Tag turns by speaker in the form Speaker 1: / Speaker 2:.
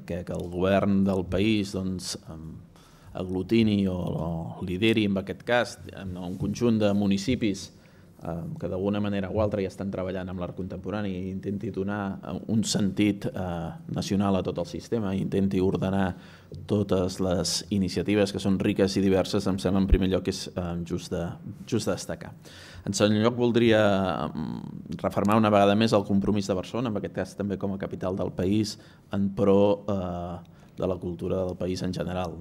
Speaker 1: que el govern del país aglutini o lideri, en aquest cas, un conjunt de municipis que d'alguna manera o altra ja estan treballant amb l'art contemporani i intenti donar un sentit nacional a tot el sistema i intenti ordenar totes les iniciatives que són riques i diverses, em sembla en primer lloc que és just de destacar. En segon lloc, voldria refermar una vegada més el compromís de Barcelona, en aquest cas també com a capital del país, en pro de la cultura del país en general.